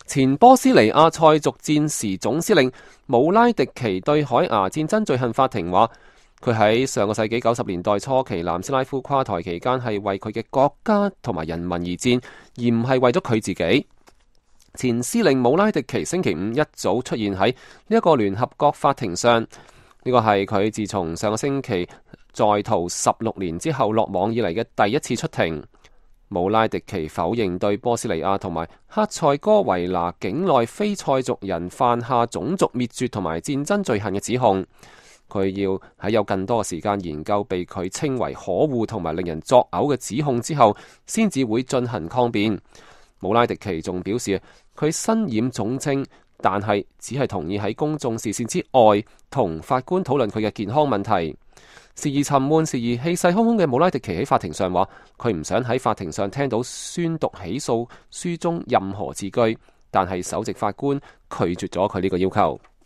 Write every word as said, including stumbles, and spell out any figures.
前波斯尼亞塞族戰時總司令姆拉迪奇對海牙戰爭罪行法庭話，佢喺上個世紀九十年代初期南斯拉夫垮台期間係為佢嘅國家同埋人民而戰，而唔係為咗佢自己。前司令姆拉迪奇星期五一早出現喺呢一個聯合國法庭上，呢個係佢自從上個星期在逃十六年之後落網以嚟嘅第一次出庭。姆拉迪奇否認對波斯尼亞同埋克塞哥維那境內非塞族人犯下種族滅絕同埋戰爭罪行嘅指控。佢要喺有更多嘅時間研究被佢稱為可惡同埋令人作嘔嘅指控之後，先至會進行抗辯。姆拉迪奇仲表示，佢身染重症，但係只係同意喺公眾視線之外同法官討論佢嘅健康問題。時而沉悶，時而氣勢洶洶嘅姆拉迪奇喺法庭上話，佢唔想喺法庭上聽到宣讀起訴書中任何字句，但係首席法官拒絕咗佢呢個要求。